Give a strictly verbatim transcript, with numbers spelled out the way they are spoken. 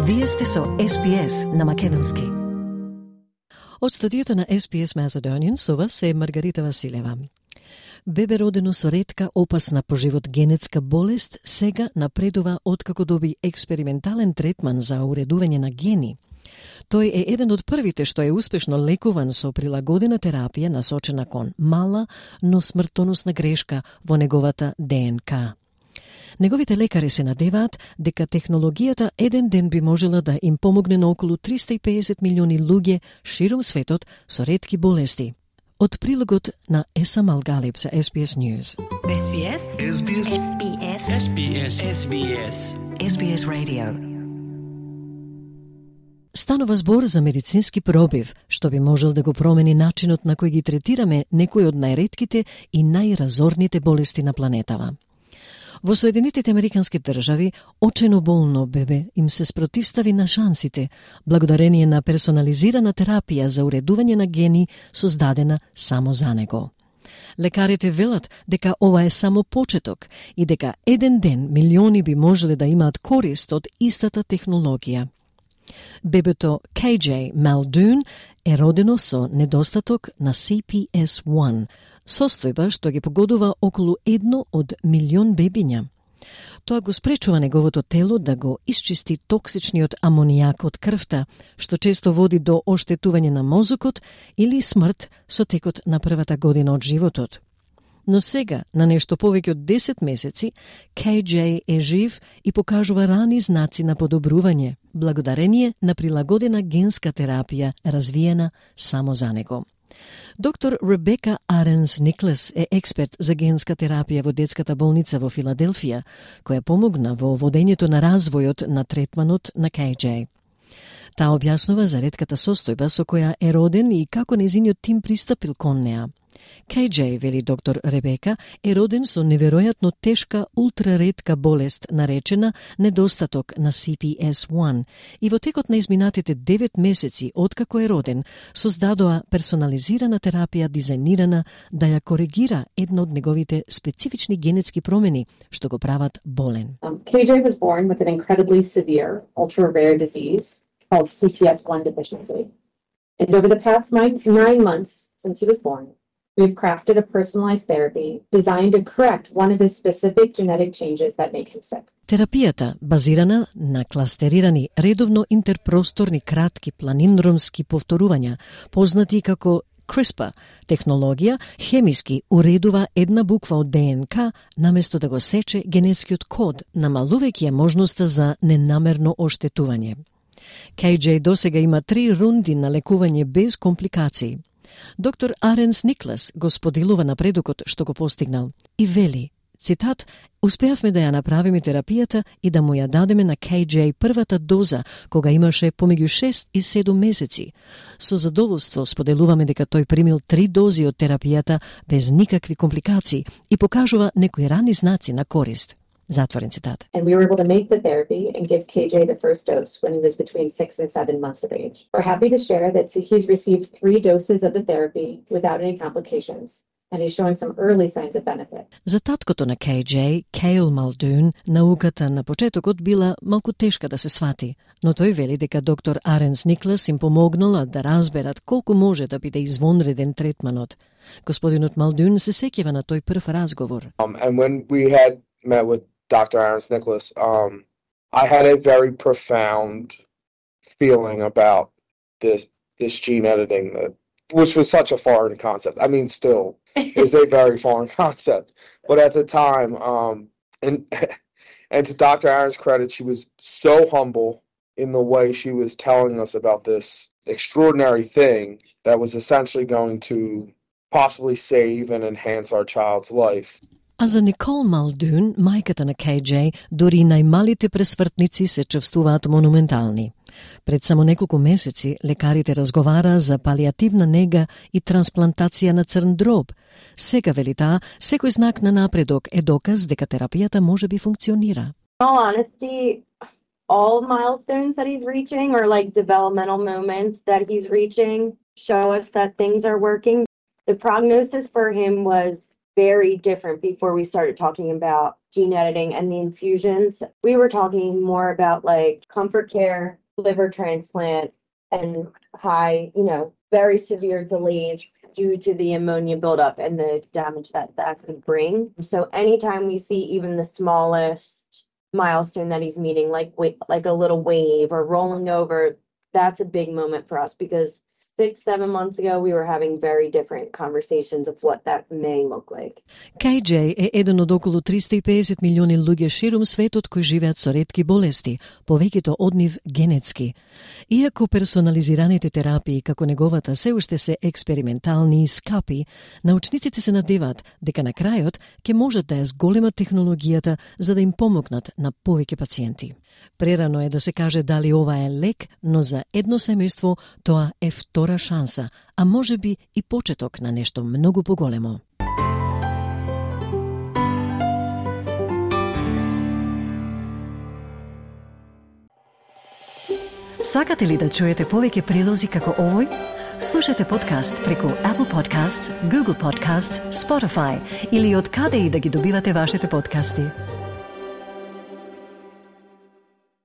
Вие сте со Ес Би Ес на македонски. Од студиото на Ес Би Ес Macedonian со вас е Маргарита Василева. Бебе родено со ретка, опасна по живот генетска болест сега напредува откако доби експериментален третман за уредување на гени. Тој е еден од првите што е успешно лекуван со прилагодена терапија насочена кон мала, но смртоносна грешка во неговата Д Н К. Неговите лекари се надеваат дека технологијата еден ден би можела да им помогне на околу триста и педесет милиони луѓе широм светот со ретки болести. Од прилогот на Еса Малгалип за Ес Би Ес News. Ес Би Ес. Ес Би Ес. Ес Би Ес. Ес Би Ес. Ес Би Ес. Ес Би Ес Radio. Станува збор за медицински пробив, што би можел да го промени начинот на кој ги третираме некои од најретките и најразорните болести на планетава. Во Соединетите Американски држави, очено болно бебе им се спротивстави на шансите, благодарение на персонализирана терапија за уредување на гени создадена само за него. Лекарите велат дека ова е само почеток и дека еден ден милиони би можеле да имаат корист од истата технологија. Бебето Кеј Џеј Малдун е родено со недостаток на Си Пи Ес еден, состојба што ги погодува околу едно од милион бебиња. Тоа го спречува неговото тело да го исчисти токсичниот амонијак од крвта, што често води до оштетување на мозокот или смрт со текот на првата година од животот. Но сега, на нешто повеќе од десет месеци, Кеј Џеј е жив и покажува рани знаци на подобрување, благодарение на прилагодена генска терапија развиена само за него. Доктор Ребека Аренс Никлас е експерт за генска терапија во детската болница во Филаделфија, која помогна во водењето на развојот на третманот на Кеј Џеј. Таа објаснува за ретката состојба со која е роден и како нејзиниот тим пристапил кон неа. Кеј Џеј, вели доктор Ребека, е роден со неверојатно тешка ултраретка болест наречена недостаток на Си Пи Ес еден и во текот на изминатите девет месеци откако е роден, создадоа персонализирана терапија дизајнирана да ја коригира една од неговите специфични генетски промени што го прават болен. Um, Кеј Џеј was born with an incredibly severe, ultra-rare disease called Си Пи Ес еден deficiency. And over the past nine, nine months since he was born, we've crafted a personalized therapy designed to correct one of his specific genetic changes that make him sick. Терапијата, базирана на кластерирани редовно интерпросторни кратки планиндромски повторувања, познати како CRISPR технологија, хемиски уредува една буква од Д Н К наместо да го сече генетскиот код, намалувајќи ја можноста за ненамерно оштетување. Кеј Џеј досега има три рунди на лекување без компликации. Доктор Аренс Никлас го споделува напредокот што го постигнал и вели, цитат, успеавме да ја направиме терапијата и да му ја дадеме на Кеј Џеј првата доза кога имаше помеѓу шест и седум месеци. Со задоволство споделуваме дека тој примил три дози од терапијата без никакви компликации и покажува некои рани знаци на корист. Затворен цитат. And we were able to make the therapy and give Кеј Џеј the first dose when he was between six and seven months of age. We're happy to share that he's received three doses of the therapy without any complications, and he's showing some early signs of benefit. За таткото на Кеј Џеј, Кейл Малдун, науката на почетокот била малку тешка да се свати, но тој вели дека доктор Аренс Никлас им помогнала да разберат колку може да биде извонреден третманот. Господинот Малдун се сеќава на тој прв разговор. Um, and when we had met with Doctor Arens Nicholas, um, I had a very profound feeling about this this gene editing, that, which was such a foreign concept. I mean, still is a very foreign concept. But at the time, um, and and to Doctor Arens' credit, she was so humble in the way she was telling us about this extraordinary thing that was essentially going to possibly save and enhance our child's life. А за Никол Малдун, мајката на Кеј Џеј, дури најмалите пресвртници се чувствуваат монументални. Пред само неколку месеци, лекарите разговара за палиативна нега и трансплантација на црн дроб. Сега, вели таа, секој знак на напредок е доказ дека терапијата може би функционира. In all honesty, all milestones that he's reaching or like developmental moments that he's reaching show us that things are working. The prognosis for him was very different before we started talking about gene editing and the infusions. We were talking more about like comfort care, liver transplant, and high, you know, very severe delays due to the ammonia buildup and the damage that that could bring. So anytime we see even the smallest milestone that he's meeting, like like a little wave or rolling over, that's a big moment for us because six, seven months ago, we were having very different conversations of what that may look like. Кај Џеј е еден од околу триста и педесет милиони луѓе ширум светот кои живеат со ретки болести, повеќето од нив генетски. Иако персонализираните терапии како неговата се уште се експериментални и скапи, научниците се надеваат дека на крајот ќе можат да ја зголемат технологијата за да им помогнат на повеќе пациенти. Прерано е да се каже дали ова е лек, но за едно семејство тоа е втора шанса, а може би и почеток на нешто многу поголемо. Сакате ли да чуете повеќе прилози како овој? Слушате подкаст преку Apple Podcasts, Google Podcasts, Spotify или од каде и да ги добивате вашите подкасти.